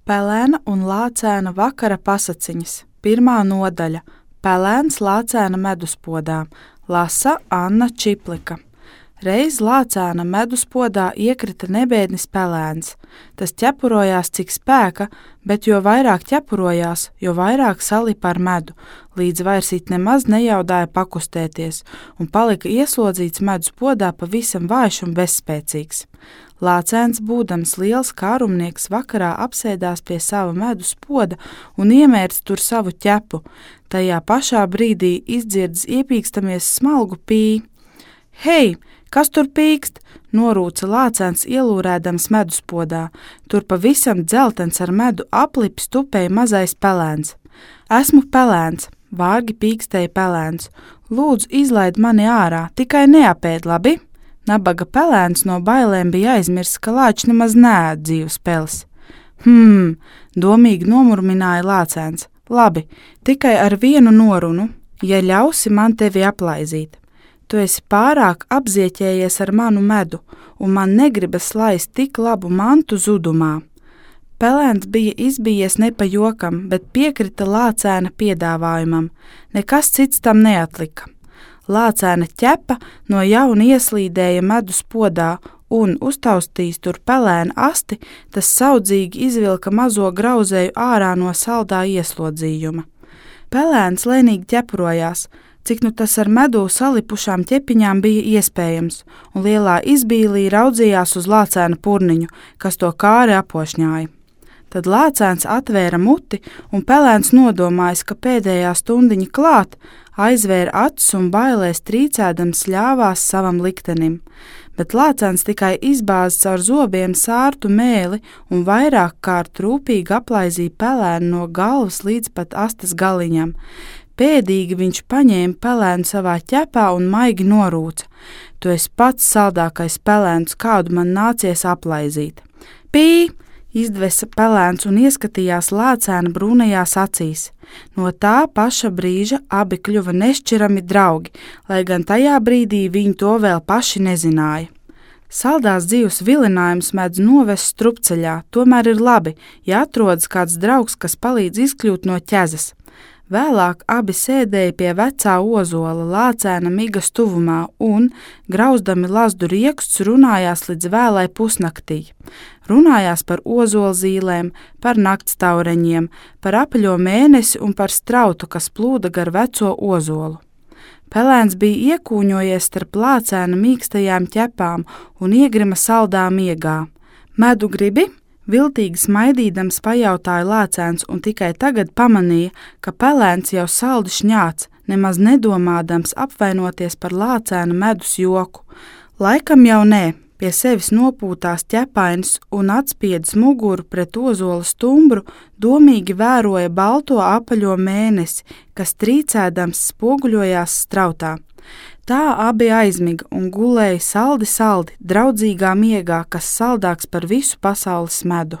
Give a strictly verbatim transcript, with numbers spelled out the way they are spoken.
Pelēna un lācēna vakara pasaciņas. Pirmā nodaļa – Pelēns lācēna meduspodā. Lasa Anna Čiplika. Reiz lācēna meduspodā iekrita nebēdnis pelēns. Tas ķepurojās cik spēka, bet jo vairāk ķepurojās, jo vairāk salipa ar medu, līdz vairs it nemaz nejaudāja pakustēties un palika ieslodzīts meduspodā pavisam vājš un bezspēcīgs. Lācēns, būdams liels kārumnieks, vakarā apsēdās pie sava medus poda un iemērca tur savu ķepu. Tajā pašā brīdī izdzirdas iepīkstamies smalgu pī. Hei, kas tur pīkst? Norūca lācēns ielūrēdams medus podā. Tur pavisam dzeltens ar medu aplips tupēja mazais pelēns. Esmu pelēns, vārgi pīkstēja pelēns. Lūdzu, izlaid mani ārā, tikai neapēd, labi? Nabaga pelēns no bailēm bija aizmirsis, ka lāči nemaz neēd dzīvas peles. Hmm, domīgi nomurmināja lācēns. Labi, tikai ar vienu norunu, ja ļausi man tevi aplaizīt. Tu esi pārāk apzieķējies ar manu medu, un man negribas laist tik labu mantu zudumā. Pelēns bija izbijies ne pa jokam, bet piekrita lācēna piedāvājumam. Nekas cits tam neatlika. Lācēna ķepa no jauna ieslīdēja medus podā un, uztaustījis tur pelēna asti, tas saudzīgi izvilka mazo grauzēju ārā no saldā ieslodzījuma. Pelēns lēnīgi ķepurojās, cik nu tas ar medū salipušām ķepiņām bija iespējams, un lielā izbīlī raudzījās uz lācēna purniņu, kas to kāri apošņāja. Tad lācēns atvēra muti, un pelēns nodomājis, ka pēdējā stundiņa klāt, aizvēra acis un bailēs trīcēdams ļāvās savam liktenim. Bet lācēns tikai izbāza caur zobiem sārtu mēli un vairāk kārt rūpīgi aplaizīja pelēnu no galvas līdz pat astes galiņam. Pēdīgi viņš paņēma pelēnu savā ķepā un maigi norūca. Tu esi pats saldākais pelēns, kādu man nācies aplaizīt. Pī! Izdvesa pelēns un ieskatījās lācēna brūnajās acīs. No tā paša brīža abi kļuva nešķirami draugi, lai gan tajā brīdī viņi to vēl paši nezināja. Saldās dzīves vilinājums mēdz novest strupceļā, tomēr ir labi, ja atrodas kāds draugs, kas palīdz izkļūt no ķezas. Vēlāk abi sēdēja pie vecā ozola lācēna migas tuvumā un, grauzdami lazdu rieksts, runājās līdz vēlai pusnaktī. Runājās par ozolzīlēm, par naktstaureņiem, par apaļo mēnesi un par strautu, kas plūda gar veco ozolu. Pelēns bija iekūņojies starp lācēna mīkstajām ķepām un iegrima saldā miegā. Medu gribi? Viltīgi smaidīdams pajautāja lācēns un tikai tagad pamanīja, ka pelēns jau saldi šņāc, nemaz nedomādams apvainoties par lācēna medus joku. Laikam jau nē, pie sevis nopūtās ķepainis un atspiedis muguru pret ozola stumbru, domīgi vēroja balto apaļo mēnesi, kas trīcēdams spoguļojās strautā. Tā abi aizmiga un gulēja saldi saldi, draudzīgā miegā, kas saldāks par visu pasaules medu.